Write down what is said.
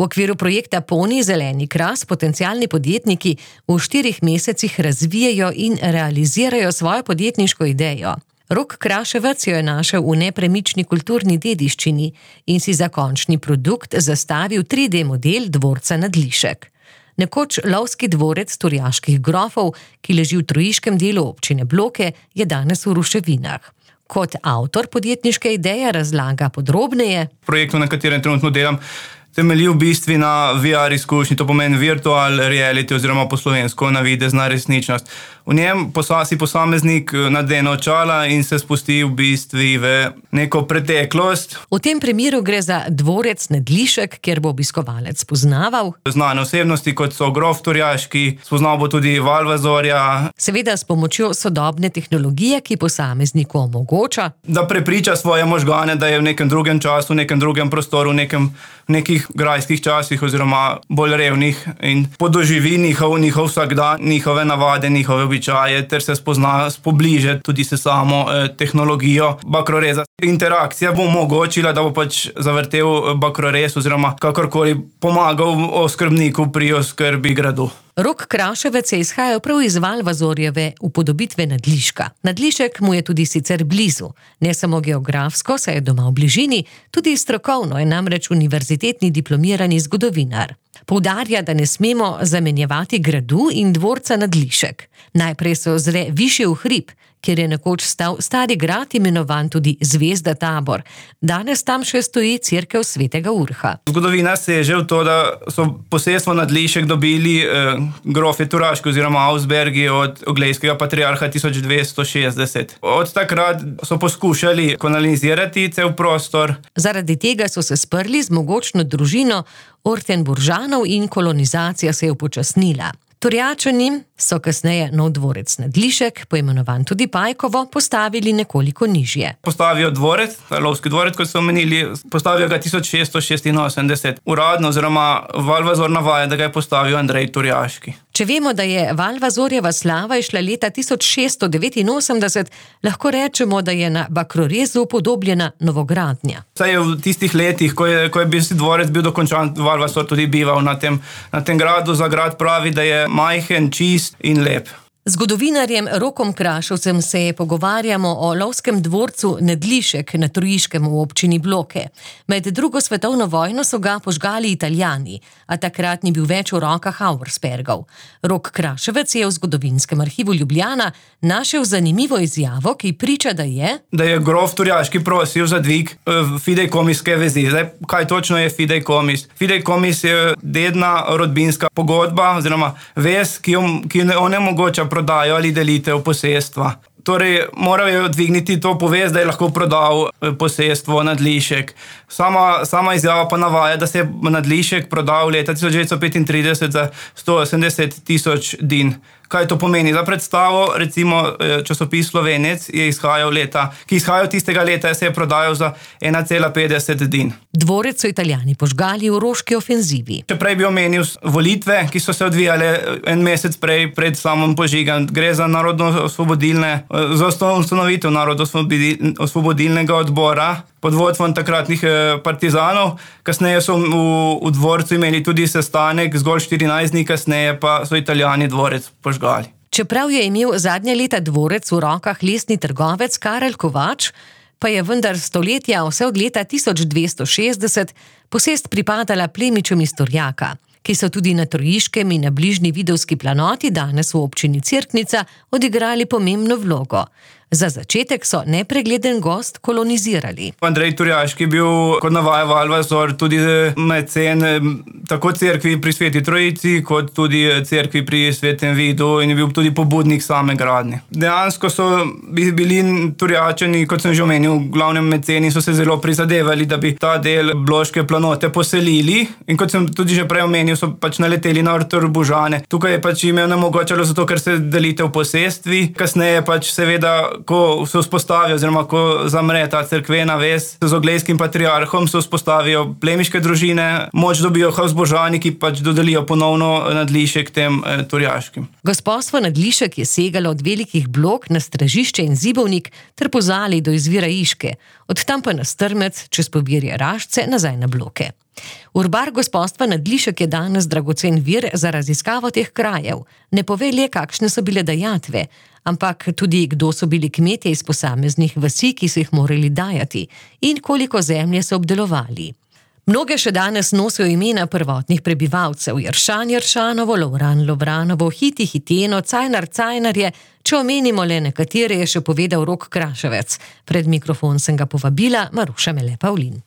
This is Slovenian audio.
V okviru projekta Poni zeleni kras potencialni podjetniki v 4 mesecih razvijajo in realizirajo svojo podjetniško idejo. Rok Kraševec jo je našel v nepremični kulturni dediščini in si za končni produkt zastavil 3D model dvorca Nadlišek. Nekoč lovski dvorec turjaških grofov, ki leži v trojiškem delu občine Bloke, je danes v ruševinah. Kot avtor podjetniške ideje razlaga podrobneje. Projektu, na katerem trenutno delam, temelji v bistvu na VR izkušnji, to pomeni virtual reality oziroma po slovensko navidezna resničnost. V njem si posameznik nadene očala in se spusti v bistvu v neko preteklost. V tem primeru gre za dvorec Nadlišek, kjer bo obiskovalec spoznaval znane osebnosti, kot so grof turjaški, spoznal bo tudi Valvazorja. Seveda s pomočjo sodobne tehnologije, ki posamezniku omogoča, da prepriča svoje možgane, da je v nekem drugem času, v nekem drugem prostoru, v nekih grajskih časih oziroma bolj revnih in podoživi njihov vsakdan, njihove navade, njihove običaje ter se spobliže tudi se samo tehnologijo bakroreza. Interakcija bo omogočila, da bo zavrtel bakrorez oziroma kakorkoli pomagal oskrbniku pri oskrbi gradu. Rok Kraševec je izhajal prav iz Valvazorjeve upodobitve Nadliška. Nadlišek mu je tudi sicer blizu. Ne samo geografsko, saj je doma v bližini, tudi strokovno je namreč univerzitetni diplomirani zgodovinar. Poudarja, da ne smemo zamenjevati gradu in dvorca Nadlišek. Najprej se ozre višje v hrib, kjer je nekoč stal stari grad, imenovan tudi Zvezda Tabor. Danes tam še stoji cerkev Svetega Urha. Zgodovina seže v to, da so posestvo Nadlišek dobili grofje Turaški oziroma Augsbergi od oglejskega patriarha 1260. Od takrat so poskušali kolonizirati cel prostor. Zaradi tega so se sprli z mogočno družino Ortenburžanov in kolonizacija se je upočasnila. Turjačani so kasneje nov dvorec Nadlišek, poimenovan tudi Pajkovo, postavili nekoliko nižje. Postavijo dvorec, lovski dvorec, kot so omenili, postavijo ga 1686. Uradno oziroma Valvazor navaja, da ga je postavil Andrej Turjaški. Če vemo, da je Valvazorjeva slava išla leta 1689, lahko rečemo, da je na Bakrorezu upodobljena novogradnja. Saj je v tistih letih, ko je dvorec bil dokončan, Valvazor tudi bival na tem gradu. Za grad pravi, da je majhen, čist in lep. Z zgodovinarjem Rokom Kraševcem se pogovarjamo o lovskem dvorcu Nadlišek na Trojiškem v občini Bloke. Med drugo svetovno vojno so ga požgali Italijani, a takrat ni bil več v rokah Auerspergov. Rok Kraševec je v zgodovinskem arhivu Ljubljana našel zanimivo izjavo, ki priča, da je grof Turjaški prosil za dvig fidejkomiske vezi. Zdaj, kaj točno je fidejkomis? Fidejkomis je dedna rodbinska pogodba oziroma vez, ki onemogoča prodajo ali delitev posestva. Torej, moral je dvigniti to povest, da je lahko prodal posestvo Nadlišek. Sama izjava pa navaja, da se je Nadlišek prodal leta 1935 za 180 tisoč din. Kaj to pomeni? Za predstavo, recimo, časopis Slovenec ki izhajal tistega leta, se je prodajal za 1,50 din. Dvorec so Italijani požgali v Roški ofenzivi. Če prej bi omenil volitve, ki so se odvijale en mesec pred samim požigom, gre za za ustanovitev Narodno-osvobodilnega odbora pod vodstvom takratnih partizanov. Kasneje so v dvorcu imeli tudi sestanek, zgolj 14 dni kasneje pa so Italijani dvorec požgali. Čeprav je imel zadnja leta dvorec v rokah lesni trgovec Karel Kovač, pa je vendar stoletja, vse od leta 1260, posest pripadala plemičem iz Turjaka, ki so tudi na Trojiškem in na bližnji Vidovski planoti, danes v občini Cerknica, odigrali pomembno vlogo. Za začetek so nepregleden gost kolonizirali. Andrej Turjaški je bil, kot navaja Valvazor, tudi mecen tako cerkvi pri Sveti Trojici, kot tudi cerkvi pri Svetem Vidu in je bil tudi pobudnik same gradnje. Dejansko so bili Turjačani, kot sem že omenil, glavnem meceni, so se zelo prizadevali, da bi ta del Bloške planote poselili in kot sem tudi že prej omenil, so naleteli na Ortenburžane. Tukaj je jim onemogočalo zato, ker se delitev posestvi. Kasneje seveda, ko se vzpostavijo oziroma ko zamre ta cerkvena vez z oglejskim patriarhom, se vzpostavijo plemiške družine, moč dobijo Habsburžani, ki dodelijo ponovno Nadlišek tem Turjaškim. Gospodstvo Nadlišek je segalo od velikih blok na Stražišče in Zibovnik ter po Zali do izvira Iške, od tam pa na Strmec čez Pobirje Rašce nazaj na Bloke. Urbar gospodstva Nadlišek je danes dragocen vir za raziskavo teh krajev. Ne pove le, kakšne so bile dajatve, ampak tudi, kdo so bili kmetje iz posameznih vasi, ki so jih morali dajati, in koliko zemlje so obdelovali. Mnoge še danes nosijo imena prvotnih prebivalcev: Jeršan Jeršanovo, Lovran Lovranovo, Hiti Hiteno, Cajnar Cajnarje. Če omenimo le nekatere, je še povedal Rok Kraševec. Pred mikrofon sem ga povabila Maruša Mele Pavlin.